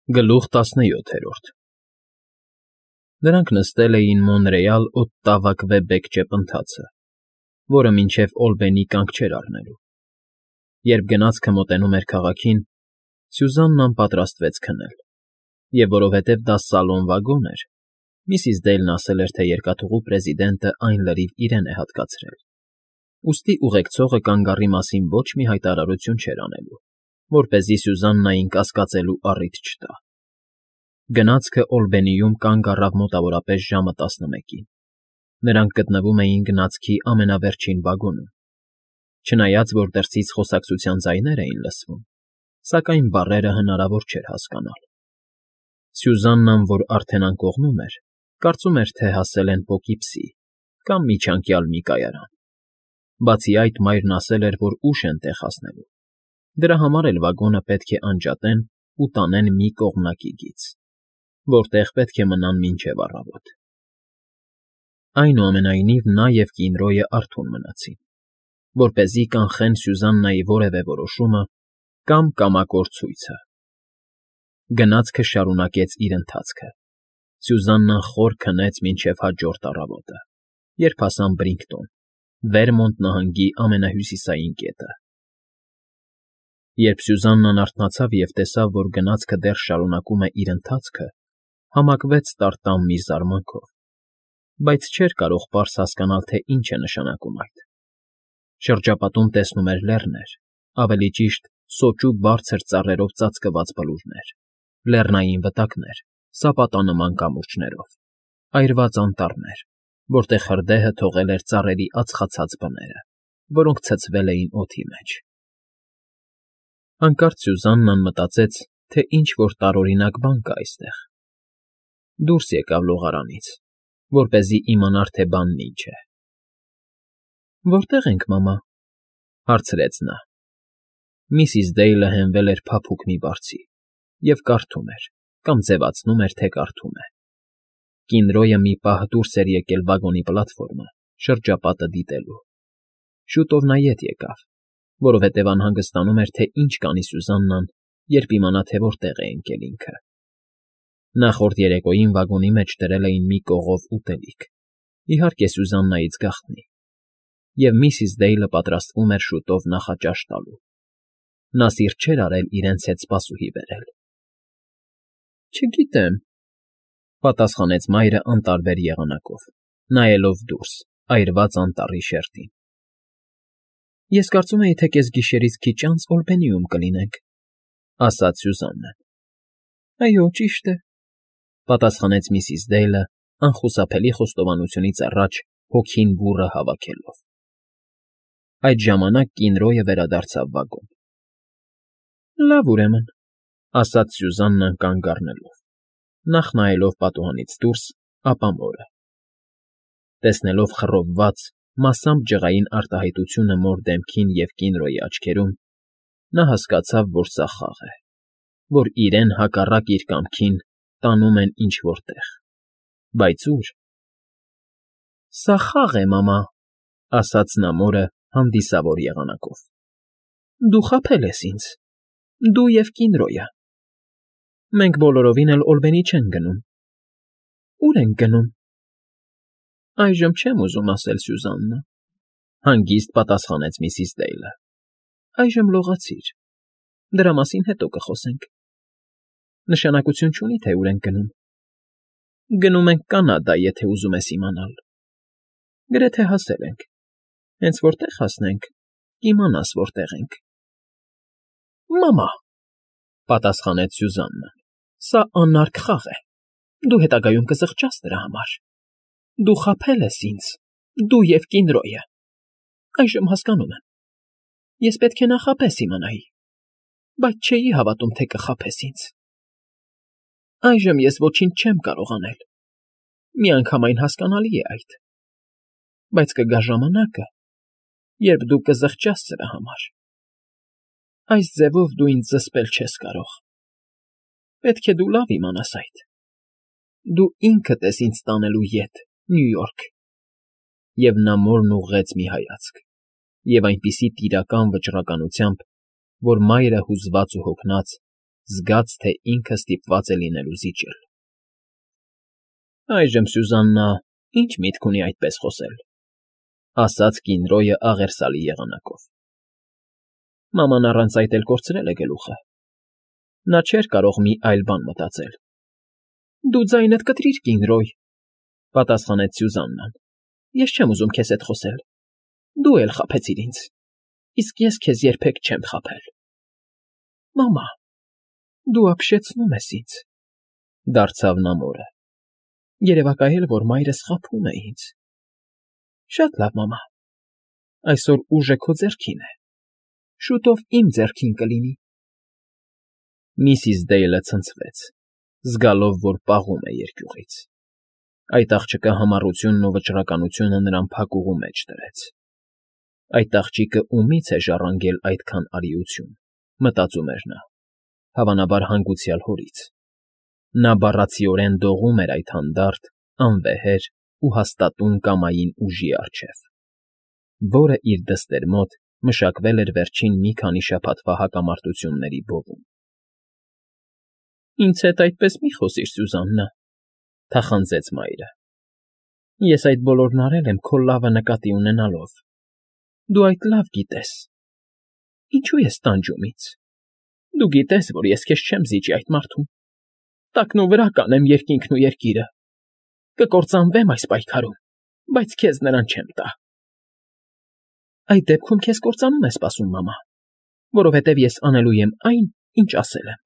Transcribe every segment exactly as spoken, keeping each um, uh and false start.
Գլուխ տասնյոթերորդ Նրանք նստել էին Մոնրեալ Օտտավա Քվեբեկ ճեպընթացը, որը մինչև Օլբենի կանգ չէր առնելու։ Երբ գնացքը մոտենում էր քաղաքին, Սյուզաննան պատրաստվեց քնել, և որովհետև դա սալոն վագոն էր, միսիս Դեյլն ասել էր, թե երկաթուղու պրեզիդենտը այն լրիվ իրեն է հատկացրել, ուստի ուղեկցողը կանգառի մասին ոչ մի հայտարարություն չէր անելու, որպեսզի Սյուզաննային կասկածելու առիթ չտա։ Գնացքը Օլբենիում կանգ առավ մոտավորապես ժամը տասնմեկին. նրանք գտնվում էին գնացքի ամենավերջին վագոնում, չնայած որ դրսից խոսակցության ձայներ էին լսվում, սակայն բառերը հնարավոր չէր հասկանալ։ Սյուզաննան, որ արդեն անկողնում էր, կարծում էր, թե հասել են Պոկիպսի կամ միջանկյալ մի կայարան։ Բացի այդ, մայրն ասել էր, որ ուշ են տեղ հասնելու, դրա համար էլ վագոնը պետք է անջատեն ու տանեն մի կողմնակի գիծ, որտեղ պետք է մնան մինչև առավոտ։ Այնուամենայնիվ նա և Կինրոյը արթուն մնացին, որպեսզի կանխեն Սյուզաննայի որևէ որոշումը կամ կամակոր ցույցը։ Գնացքը շարունակեց իր ընթացքը։ Սյուզաննան խոր քնեց մինչև հաջորդ առավոտը, երբ հասան Բրինգտոն, Վերմոնտ նահանգի ամենահյուսիսային կետը։ Երբ Սյուզաննան արթնացավ և տեսավ, որ գնացքը դեռ շարունակում է իր ընթացքը, համակվեց տարտամ մի զարմանքով, բայց չէր կարող պարզ հասկանալ, թե ինչ է նշանակում այդ։ Շրջապատում տեսնում էր լեռներ, ավելի ճիշտ սոճու բարձր ծառերով ծածկված բլուրներ, լեռնային վտակներ, սապատանման կամուրջներով, այրված անտառներ, որտեղ հրդեհը թողել էր ծառերի ածխացած բները, որոնք ցցվել էին օդի մեջ։ Հանկարծ Սյուզաննան մտածեց, թե ինչ֊որ տարօրինակ բան կա այստեղ։ Դուրս եկավ լողարանից, որպեսզի իմանար, թե բանն ինչ է։ «Որտե՞ղ ենք, մամա,֊ հարցրեց նա։ Միսիս Դեյլը հենվել էր փափուկ մի բարձի և կարդում էր կամ ձևացնում էր, թե կարդում է։ Կինրոյը մի պահ դուրս էր եկել վագոնի պլատֆորմը, շրջապատը դիտելու։ Շուտով նա ետ եկավ, որովհետև անհանգստանում էր, թե ինչ կանի Սյուզաննան, երբ իմանա, թե որտեղ է ընկել ինքը։ Նախորդ երեկոյին վագոնի մեջ դրել էին մի կողով ուտելիք, իհարկե Սյուզաննայից գաղտնի, և միսիս Դեյլը պատրաստվում էր շուտով նախաճաշ տալու։ Նա սիրտ չէր արել իրենց հետ սպասուհի բերել։ «Չգիտեմ,֊ պատասխանեց մայրը անտարբեր եղանակով, նայելով դուրս, այրված անտառի շերտին։ Ես կարծում էի, թե կեսգիշերից քիչ անց Օլբենիում կլինենք,֊ ասաց Սյուզաննան։ «Այո, ճիշտ է,֊ պատասխանեց միսիս Դեյլը, անխուսափելի խոստովանությունից առաջ հոգին բուռը հավաքելով։ Այդ ժամանակ Կինրոյը վերադարձավ վագոն։ «Լավ, ուրեմն,֊ ասաց Սյուզաննան կանգ առնելով, նախ նայելով պատուհանից դուրս, ապա մորը։ Տեսնելով խռովված, մասամբ ջղային արտահայտությունը մոր դեմքին և Կինրոյի աչքերում, նա հասկացավ, որ սա խաղ է, որ իրեն հակառակ իր կամքին տանում են ինչ֊որ տեղ, բայց ո՞ւր։ «Սա խաղ է, մամա,֊ ասաց նա մորը հանդիսավոր եղանակով։ Դու խաբել ես ինձ, դու և Կինրոյը։ Մենք բոլորովին էլ Օլբենի չենք գնում։ Ո՞ւր ենք գնում»։ «Այժմ չեմ ուզում ասել, Սյուզաննա,֊ հանգիստ պատասխանեց միսիս Դեյլը։ Այժմ լողացիր, դրա մասին հետո կխոսենք։ Նշանակություն չունի, թե ուր ենք գնում։ Գնում ենք Կանադա, եթե ուզում ես իմանալ։ Գրեթե հասել ենք, հենց որտեղ հասնենք, կիմանաս որտեղ ենք»։ «Մամա,֊ պատասխանեց Սյուզաննան,֊ սա անարգ խաղ է, դու հետագայում կզղջաս դրա համար։ Դու խաբել ես ինձ, դու և Կինրոյը։ Այժմ հասկանում եմ։ Ես պետք է նախապես իմանայի, բայց չէի հավատում, թե կխաբես ինձ։ Այժմ ես ոչինչ չեմ կարող անել, միանգամայն հասկանալի է այդ, բայց կգա ժամանակը, երբ դու կզղջաս սրա համար։ Այս ձևով դու ինձ զսպել չես կարող։ Պետք է դու լավ իմանաս այդ։ Դու ինքդ ես ինձ տանելու ետ, Նյու Յորք։ Եվ նա մորն ուղղեց մի հայացք, և այնպիսի տիրական վճռականությամբ, որ մայրը հուզված ու հոգնած զգաց, թե ինքը ստիպված է լինելու զիջել։ Այժմ Սյուզաննա ինչ միտք ունի այդպես խոսել, ասաց կինռոյը աղերսալի եղանակով։ Մաման առանց այդ էլ կորցրել է գլուխը։ Նա չէր կարող մի այլ բան մտածել։ Դու ձայնդ կտրիր, Կինռոյ, պատասխանեց Սյուզաննան։ Ես չեմ ուզում քեզ հետ խոսել։ Դու էլ խաբեցիր ինձ, իսկ ես քեզ երբեք չեմ խաբել։ Մամա, դու ապշեցնում ես ինձ, դարձավ նա մորը։ Երևակայել, որ մայրս խաբում է ինձ։ Շատ լավ, մամա, այսօր ուժը քո ձեռքին է, շուտով իմ ձեռքին կլինի։ Միսիս Դեյլը ցնցվեց, զգալով, որ պաղում է երկյուղից։ Այդ աղջկա համառությունն ու վճռականությունը նրան փակուղու մեջ դրեց։ Այդ աղջիկը ումի՞ց է ժառանգել այդքան արիություն, մտածում էր նա, հավանաբար հանգուցյալ հորից։ Նա բառացիորեն դողում էր այդ հանդարտ, անվեհեր ու հաստատուն կամային ուժի առջև, որը իր դստեր մոտ մշակվել էր վերջին մի քանի շաբաթվա հակամարտությունների բովում։ Ինձ հետ այդպես մի խոսիր, Սյուզաննա, թախանձեց մայրը։ Ես այդ բոլորն արել եմ քո լավը նկատի ունենալով։ Դու այդ լավ գիտես։ Ինչու ես տանջում ինձ։ Դու գիտես, որ ես քեզ չեմ զիջի այդ մարդուն։ Տակնու վրա կանեմ երկինքն ու երկիրը։ Կկործանվեմ այս պայքարում, բայց քեզ նրան չեմ տա։ Այդ դեպքում քեզ կործանում է սպասում, մամա, որովհետև ես անելու եմ այն, ինչ ասել եմ։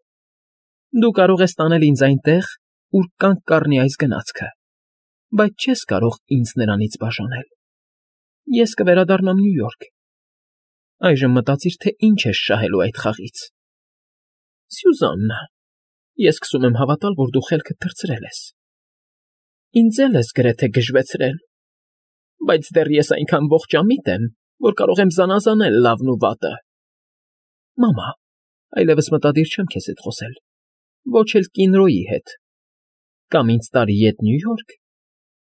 Դու կարող ես տանել ինձ այնտեղ, ուր կանգ կառնի այս գնացքը, բայց չես կարող ինձ նրանից բաժանել։ Ես կվերադառնամ Նյու Յորք։ Այժմ մտածիր, թե ինչ ես շահելու այդ խաղից։ Սյուզաննա, ես սկսում եմ հավատալ, որ դու խելքդ թռցրել ես։ Ինձ էլ ես գրեթե գժվեցրել, բայց դեռ ես այնքան ողջամիտ եմ, որ կարող եմ զանազանել լավն ու վատը։ Մամա, այլևս մտադիր չեմ քեզ հետ խոսել, ոչ էլ Կինռոյի հետ։ Կամ ինձ տարի ետ Նյու Յորք,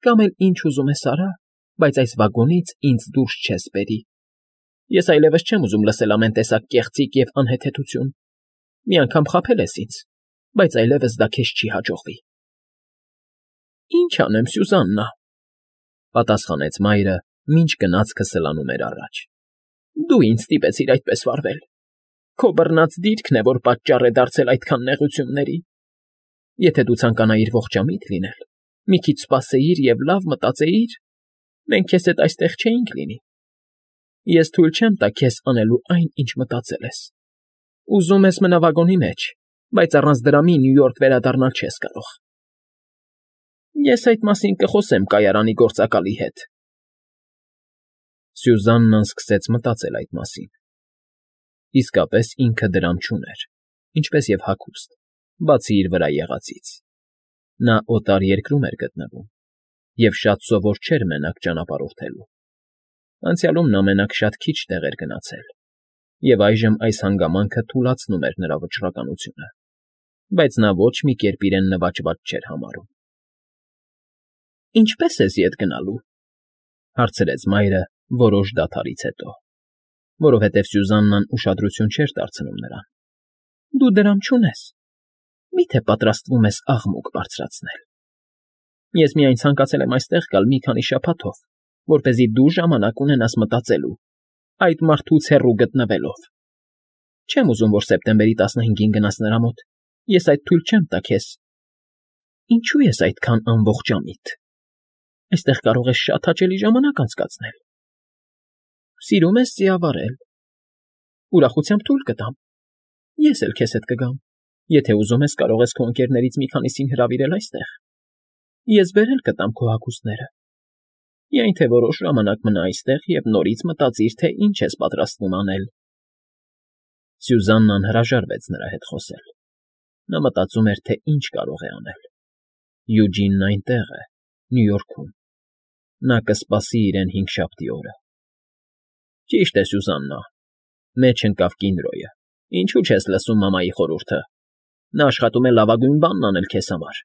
կամ էլ ինչ ուզում ես արա, բայց այս վագոնից ինձ դուրս չես բերի։ Ես այլևս չեմ ուզում լսել ամեն տեսակ կեղծիք և անհեթեթություն։ Մի անգամ խաբել ես ինձ, բայց այլևս դա քեզ չի հաջողվի։ Ինչ անեմ, Սյուզաննա, պատասխանեց մայրը, մինչ գնացքը սլանում էր առաջ։ Դու ինձ ստիպեցիր այդպես վարվել։ Քո բռնած դիրքն է, որ պատճառ է դարձել այդքան նեղությունների։ Եթե դու ցանկանայիր ողջամիտ լինել, մի քիչ սպասեիր և լավ մտածեիր, մենք քեզ հետ այստեղ չէինք լինի։ Ես թույլ չեմ տա քեզ անելու այն, ինչ մտածել ես։ Ուզում ես մնա վագոնի մեջ, բայց առանց դրա մի Նյու Յորք վերադառնալ չես կարող։ Ես այդ մասին կխոսեմ կայարանի գործակալի հետ։ Սյուզաննան սկսեց մտածել այդ մասին։ Իսկապես ինքը դրամ չուներ, ինչպես և հագուստ, բացի իր վրա եղածից։ Նա օտար երկրում էր գտնվում և շատ սովոր չէր մենակ ճանապարհորդելու։ Անցյալում նա մենակ շատ քիչ տեղ էր գնացել, և այժմ այս հանգամանքը թուլացնում էր նրա վճռականությունը, բայց նա ոչ մի կերպ իրեն նվաճված չէր համարում։ Ինչպե՞ս ես ետ գնալու, հարցրեց մայրը որոշ դադարից հետո, որովհետև Սյուզաննան ուշադրություն չէր դարձնում նրան։ Դու դրամ չունես։ Մի՞թե պատրաստվում ես աղմուկ բարձրացնել։ Ես միայն ցանկացել եմ այստեղ գալ մի քանի շաբաթով, որպեսզի դու ժամանակ ունենաս մտածելու, այդ մարդուց հեռու գտնվելով։ Չեմ ուզում, որ սեպտեմբերի տասնհինգին գնաս նրա մոտ։ Ես այդ թույլ չեմ տա քեզ։ Ինչու ես այդքան անողջամիտ։ Այստեղ կարող ես շատ հաճելի ժամանակ անցկացնել։ Սիրում ես ձիավարել։ Ուրախությամբ թույլ կտամ։ Ես էլ քեզ հետ կգամ։ Եթե ուզում ես, կարող ես քո ընկերներից մի քանիսին հրավիրել այստեղ։ Ես բերել կտամ քո հագուստները։ Միայն թե որոշ ժամանակ մնա այստեղ և նորից մտածիր, թե ինչ ես պատրաստվում անել։ Սյուզաննան հրաժարվեց նրա հետ խոսել։ Նա մտածում էր, թե ինչ կարող է անել։ Յուջինն այնտեղ է, Նյու Յորքում։ Նա կսպասի իրեն հինգշաբթի օրը։ Ճիշտ է, Սյուզաննա, մեջ ընկավ Կինռոյը։ Ինչու չես լսում մամայի խորհուրդը։ Նա աշխատում է լավագույն բանն անել քեզ համար։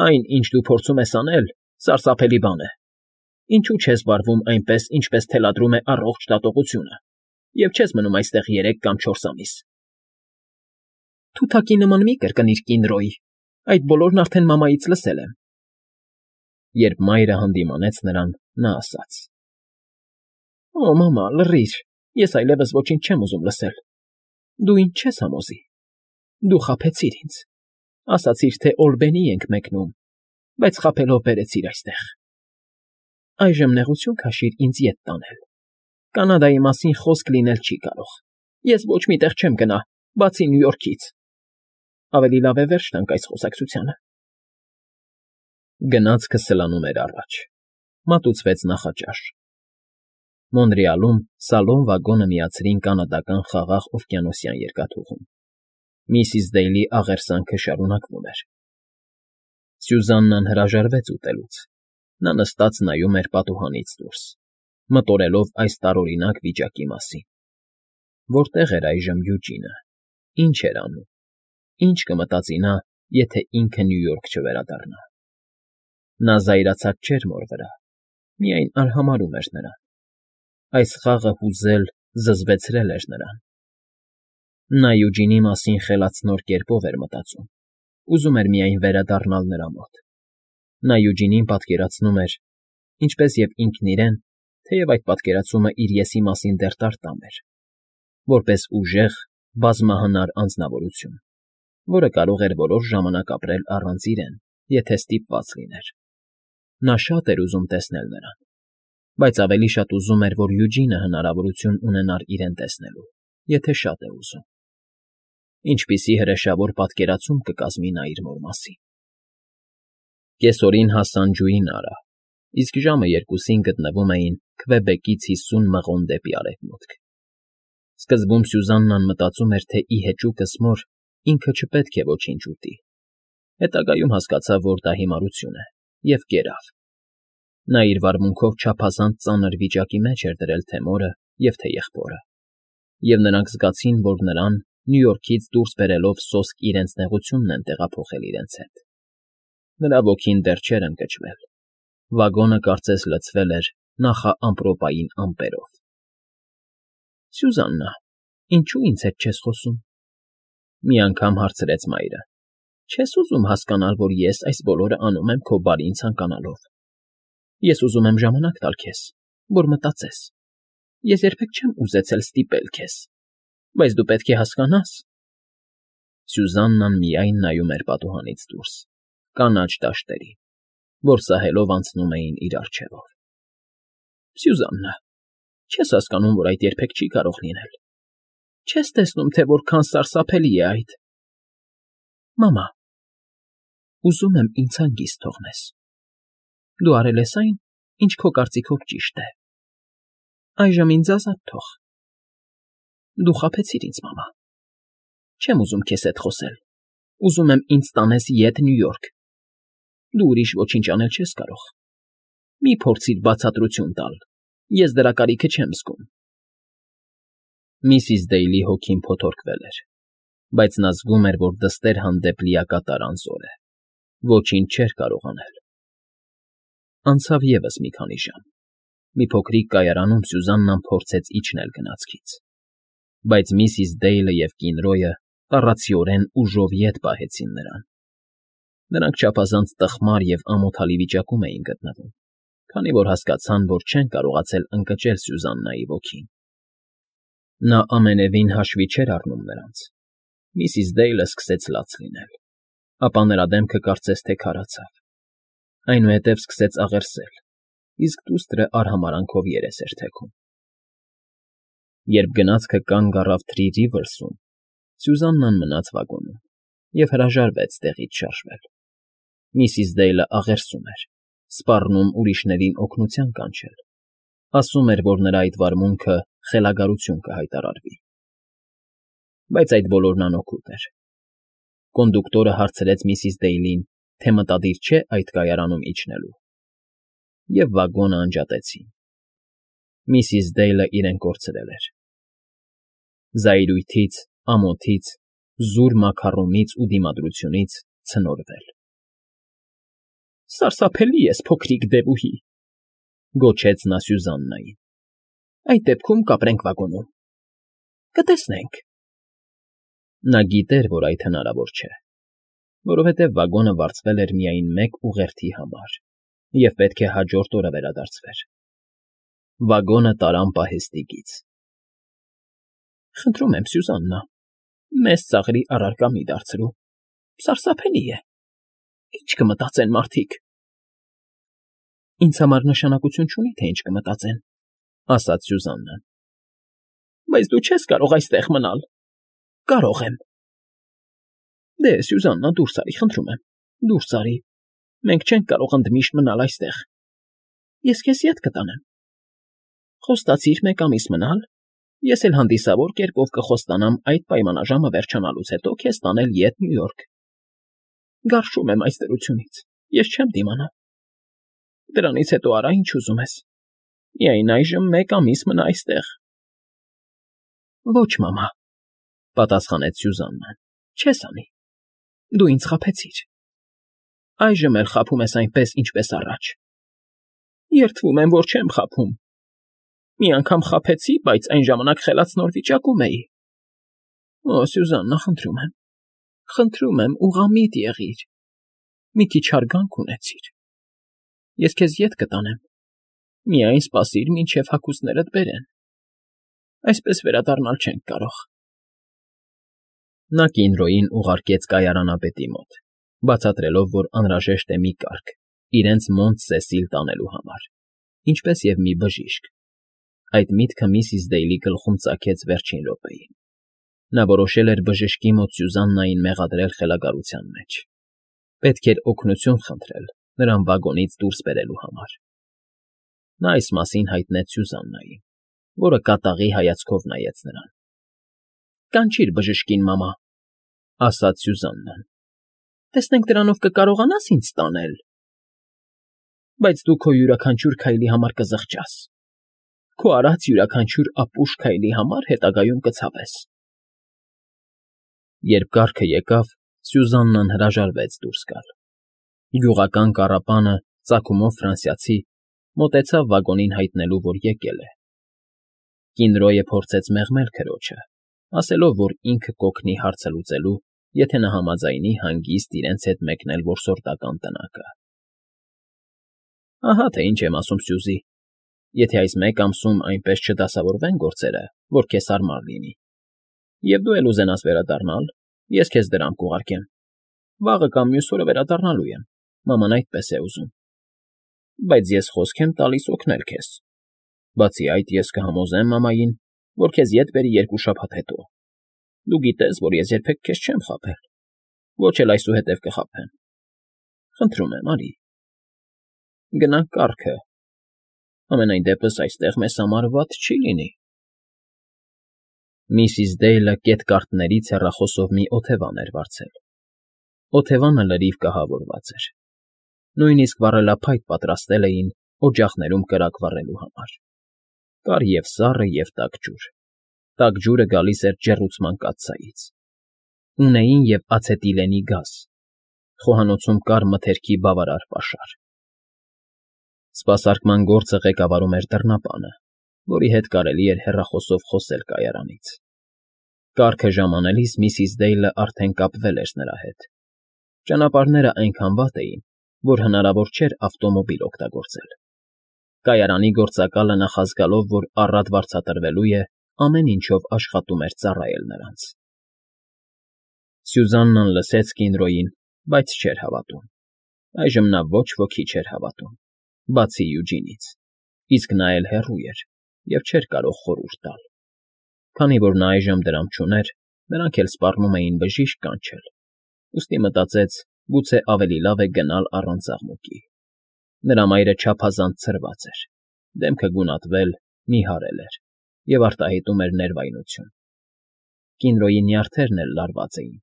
Այն, ինչ դու փորձում ես անել, սարսափելի բան է։ Ինչու չես վարվում այնպես, ինչպես թելադրում է առողջ դատողությունը, և չես մնում այստեղ երեք կամ չորս ամիս։ Թութակի նման մի կրկնիր, կին Ռոյ, այդ բոլորն արդեն մամայից լսել եմ։ Երբ մայրը հանդիմանեց նրան, նա ասաց. Օ, մամա, լռիր, ես այլևս ոչինչ չեմ ուզում լսել։ Դու ինձ չես համոզի։ Դու խաբեցիր ինձ, ասացիր, թե Օլբենի ենք մեկնում, բայց խաբելով բերեցիր այստեղ։ Այժմ նեղություն քաշիր ինձ ետ տանել։ Կանադայի մասին խոսք լինել չի կարող։ Ես ոչ մի տեղ չեմ գնա, բացի Նյու Յորքից։ Ավելի լավ է վերջ տանք այս խոսակցությանը։ Գնացքը սլանում էր առաջ։ Մատուցվեց նախաճաշ։ Մոնրեալում սալոն վագոնը միացրին կանադական խաղաղ օվկիանոսյան երկաթուղում։ Միսիս Դեյլի աղերսանքը շարունակվում էր։ Սյուզաննան հրաժարվեց ուտելուց։ Նա նստած նայում էր պատուհանից դուրս, մտորելով այս տարօրինակ վիճակի մասին։ Որտե՞ղ էր այժմ Յուջինը, ինչ էր անում, ինչ կմտածի նա, եթե ինքը Նյու Յորք չվերադառնա։ Նա զայրացած չէր մոր վրա, միայն արհամարհում էր նրան։ Այս խաղը հուզել, զզվեցրել էր նրան։ Նա Յուջինի մասին խելացնոր կերպով էր մտածում, ուզում էր միայն վերադառնալ նրա մոտ։ Նա Յուջինին պատկերացնում էր, ինչպես և ինքն իրեն, թեև այդ պատկերացումը իր եսի մասին դեռ տարտամ էր, որպես ուժեղ, բազմահնար անձնավորություն, որը կարող էր որոշ ժամանակ ապրել առանց իրեն, եթե ստիպված լիներ։ Նա շատ էր ուզում տեսնել նրան, բայց ավելի շատ ուզում էր, որ Յուջինը հնարավորություն ունենար իրեն տեսնելու, եթե շատ է ուզում։ Ինչպիսի հրեշավոր պատկերացում կկազմի նա իր մոր մասին։ Կեսօրին հասան Ջուինարա, իսկ ժամը երկուսին գտնվում էին Քվեբեկից հիսուն մղոն դեպի արևմուտք։ Սկզբում Սյուզաննան մտածում էր, թե ի հեճուկս մոր ինքը չպետք է ոչինչ ուտի։ Հետագայում հասկացավ, որ դա հիմարություն է, և կերավ։ Նա իր վարմունքով չափազանց ծանր վիճակի մեջ էր դրել թե մորը և թե եղբորը, և նրանք զգացին, որ նրան Նյու Յորքից դուրս բերելով սոսկ իրենց նեղությունն են տեղափոխել իրենց հետ։ Նրա ոգին դեռ չէր ընկճվել։ Վագոնը կարծես լցվել էր նախաամպրոպային ամպերով։ Սյուզաննա, ինչո՞ւ ինձ հետ չես խոսում, մի անգամ հարցրեց մայրը։ Չես ուզում հասկանալ, որ ես այս բոլորը անում եմ քո բարին ցանկանալով։ Ես ուզում եմ ժամանակ տալ քեզ, որ մտածես։ Ես երբեք չեմ ուզեցել ստիպել քեզ, բայց դու պետք է հասկանաս։ Սյուզաննան միայն նայում էր պատուհանից դուրս, կանաչ դաշտերին, որ սահելով անցնում էին իր առջևով։ Սյուզաննա, չես հասկանում, որ այդ երբեք չի կարող լինել։ Չես տեսնում, թե որքան սարսափելի է այդ։ Մամա, ուզում եմ ինձ հանգիստ թողնես։ Դու արել ես այն, ինչ քո կարծիքով ճիշտ է։ Այժմ ինձ ազատ թող։ Դու խաբեցիր ինձ, մամա։ Չեմ ուզում քեզ հետ խոսել։ Ուզում եմ ինձ տանես ետ Նյու Յորք։ Դու ուրիշ ոչինչ անել չես կարող։ Մի փորձիր բացատրություն տալ։ Ես դրա կարիքը չեմ զգում։ Միսիս Դեյլի հոգին փոթորկվել էր, բայց նա զգում էր, որ դստեր հանդեպ լիակատար անզոր է։ Ոչինչ չէր կարող անել։ Անցավ ևս մի քանի ժամ։ Մի փոքրիկ կայարանում Սյուզաննան փորձեց իջնել գնացքից, բայց միսիս Դեյլը և կին Ռոյը տառացիորեն ուժով ետ պահեցին նրան։ Նրանք չափազանց տխմար և ամոթալի վիճակում էին գտնվում, քանի որ հասկացան, որ չեն կարողացել ընկճել Սյուզաննայի ոգին։ Նա ամենևին հաշվի չէր առնում նրանց։ Միսիս Դեյլը սկսեց լաց լինել, ապա նրա դեմքը կարծես թե քարացավ։ Այնուհետև սկսեց աղերսել, իսկ դուստրը արհամարանքով երես էր թեքում։ Երբ գնացքը կանգ առավ Թրի Ռիվերսում, Սյուզաննան մնաց վագոնում և հրաժարվեց տեղից շարժվել։ Միսիս Դեյլը աղերսում էր, սպառնում ուրիշներին օգնության կանչել, ասում էր, որ նրա այդ վարմունքը խելագարություն կհայտարարվի։ Բայց այդ բոլորն անօգուտ էր։ Կոնդուկտորը հարցրեց միսիս Դեյլին, թե մտադիր չէ այդ կայարանում իջնելու, և վագոնը անջատեցին։ Միսիս Դեյլը իրեն կորցրել էր։ Զայրույթից, ամոթից, զուր մաքառումից ու դիմադրությունից ցնորվել։ Սարսափելի ես, փոքրիկ դևուհի, գոչեց նա Սյուզաննային։ Այդ դեպքում կապրենք վագոնում։ Կտեսնենք։ Նա գիտեր, որ այդ հնարավոր չէ, որովհետև վագոնը վարձվել էր միայն մեկ ուղերձի համար և պետք է հաջորդ օրը վերադարձվեր։ Վագոնը տարան պահեստիկից։ ֊ Խնդրում եմ, Սյուզաննա, մեզ ծաղրի առարկա մի դարձրու, սարսափելի է, ինչ կմտածեն մարդիկ։ ֊ Ինձ համար նշանակություն չունի, թե ինչ կմտածեն, ֊ ասաց Սյուզաննան։ ֊ Բայց դու չես կարող այստեղ մնալ։ ֊ Կարող եմ։ ֊ Դե, Սյուզաննա, դուրս արի, խնդրում եմ, դուրս արի, մենք չենք կարող ընդմիշտ մնալ այստեղ, ես քեզ ետ կտանեմ։ Խոստացիր մեկ ամիս մնալ, ես էլ հանդիսավոր կերպով կխոստանամ այդ պայմանաժամը վերջանալուց հետո քեզ տանել ետ Նյու Յորք։ Գարշում եմ այս դրությունից, ես չեմ դիմանա։ Դրանից հետո արա ինչ ուզում ես, միայն այժմ մեկ ամիս մնա այստեղ։ Ոչ, մամա, պատասխանեց Սյուզաննան, չես անի, դու ինձ խաբեցիր։ Այժմ էլ խաբում ես այնպես, ինչպես առաջ։ Երդվում եմ, որ չեմ խաբում։ Մի անգամ խաբեցի, բայց այն ժամանակ խելացնոր վիճակում էի։ Օ, Սյուզաննա, խնդրում եմ, խնդրում եմ, ուղղամիտ եղիր, մի քիչ հարգանք ունեցիր։ Ես քեզ ետ կտանեմ, միայն սպասիր, մինչև հագուստներդ բերեն։ Այսպես վերադառնալ չենք կարող։ Նա Կինդրոյին ուղարկեց կայարանապետի մոտ, բացատրելով, որ անհրաժեշտ է մի կարգ իրենց Մոնտ Սեսիլ տանելու համար, ինչպես և մի բժիշկ։ Այդ միտքը միսիս Դեյլի գլխում ծագեց վերջին րոպեին։ Նա որոշել էր բժշկի մոտ Սյուզաննային մեղադրել խելագարության մեջ։ Պետք էր օգնություն խնդրել նրան վագոնից դուրս բերելու համար։ Նա այս մասին հայտնեց Սյուզաննային, որը կատաղի հայացքով նայեց նրան։ ֊ Կանչիր բժշկին, մամա, ֊ ասաց Սյուզաննան։ ֊ Տեսնենք դրանով կկարողանա՞ս ինձ տանել։ Բայց դու քո յուրաքանչյուր քայլի համար կզղջաս, քո արած յուրաքանչյուր ապուշ քայլի համար հետագայում կցավես։ Երբ կառքը եկավ, Սյուզաննան հրաժարվեց դուրս գալ։ Գյուղական կառապանը, ծագումով ֆրանսիացի, մոտեցավ վագոնին հայտնելու, որ եկել է։ Կինդրոյը փորձեց մեղմել քրոջը, ասելով, որ ինքը կօգնի հարցը լուծելու, եթե նա համաձայնի հանգիստ իրենց հետ մեկնել որսորդական տնակը։ Ահա թե ինչ եմ ասում, Սյուզի, եթե այս մեկ ամսում այնպես չդասավորվեն գործերը, որ քեզ հարմար լինի, և դու էլ ուզենաս վերադառնալ, ես քեզ դրամ կուղարկեմ։ Վաղը կամ մյուս օրը վերադառնալու եմ, մաման այդպես է ուզում։ Բայց ես խոսք եմ տալիս օգնել քեզ։ Բացի այդ, ես կհամոզեմ մամային, որ քեզ ետ բերի երկու շաբաթ հետո։ Դու գիտես, որ ես երբեք քեզ չեմ խաբել, ոչ էլ այսուհետև կխաբեմ։ Խնդրում եմ, արի։ Գնանք կառքը։ Համենայն դեպս այստեղ մեզ համար վատ չի լինի։ Միսիս Դեյլը կետկարտներից հեռախոսով մի օթևան էր վարձել։ Օթևանը լրիվ կահավորված էր։ Նույնիսկ վառելափայտ պատրաստել էին օջախներում կրակ վառելու համար։ Կար և սառը, և տաք ջուր։ Տաք ջուրը գալիս էր ջեռուցման կաթսայից։ Ունեին և ացետիլենի գազ։ Խոհանոցում կար մթերքի բավարար պաշար։ Սպասարկման գործը ղեկավարում էր դռնապանը, որի հետ կարելի էր հեռախոսով խոսել կայարանից։ Կառքը ժամանելիս միսիս Դեյլը արդեն կապվել էր նրա հետ։ Ճանապարհները այնքան վատ էին, որ հնարավոր չէր ավտոմոբիլ օգտագործել։ Կայարանի գործակալը նախազգալով, որ առատ վարձատրվելու է, ամեն ինչով աշխատում էր ծառայել նրանց։ Սյուզաննան լսեց Կինդրոյին, բայց չէր հավատում։ Այժմ նա ոչ ոքի չէր հավատում, բացի Յուջինից, իսկ նա էլ հեռու էր և չէր կարող խորհուրդ տալ։ Քանի որ նա այժմ դրամ չուներ, նրանք էլ սպառնում էին բժիշկ կանչել, ուստի մտածեց, գուցե ավելի լավ է գնալ առանց աղմուկի։ Նրա մայրը չափազանց ցրված էր, դեմքը գունատվել, նիհարել էր և արտահայտում էր ներվայնություն։ Կինդրոյի նյարդերն էլ լարված էին։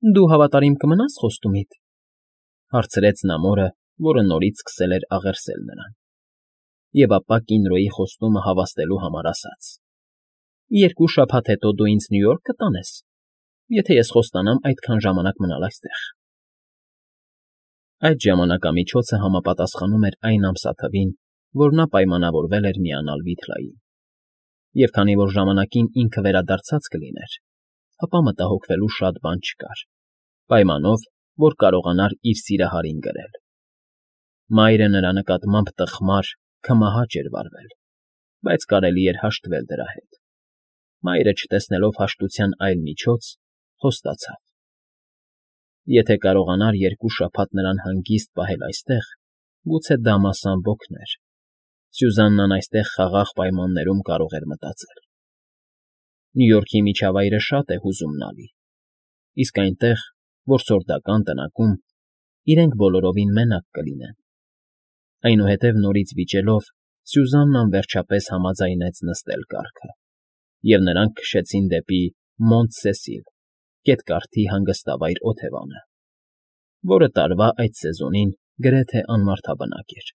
֊ Դու հավատարիմ կմնա՞ս խոստումիդ, ֊ հարցրեց նա մորը, որը նորից սկսել էր աղերսել նրան։ Եվ ապա Կինդրոյի խոստումը հավաստելու համար ասաց. ֊ Երկու շաբաթ հետո դու ինձ Նյու Յորք կտանես, եթե ես խոստանամ այդքան ժամանակ մնալ այստեղ։ Այդ ժամանակամիջոցը համապատասխանում էր այն ամսաթվին, որ նա պայմանավորվել էր միանալ Վիթլային։ Եվ քանի որ ժամանակին ինքը վերադարձած կլիներ, ապա մտահոգվելու շատ բան չկար, պայմանով, որ կարողանար իր սիրահարին գրել։ Մայրը նրա նկատմամբ տխմար, քմահաճ էր վարվել, բայց կարելի էր հաշտվել դրա հետ։ Մայրը, չտեսնելով հաշտության այլ միջոց, խոստացավ. Եթե կարողանար երկու շաբաթ նրան հանգիստ պահել այստեղ, գուցե դա մասամբ օգներ. Սյուզաննան այստեղ խաղաղ պայմաններում կարող էր մտածել։ Նյու Յորքի միջավայրը շատ է հուզումնալի, իսկ այնտեղ, որսորդական տնակում, իրենք բոլորովին մենակ կլինեն։ Այնուհետև նորից վիճելով՝ Սյուզաննան վերջապես համաձայնեց նստել կառքը, և նրանք քշեցին դեպի Մոնտ֊Սեսիլ, Կետկարթի հանգստավայր օթևանը, որը տարվա այդ սեզոնին գրեթե անմարդաբնակ էր։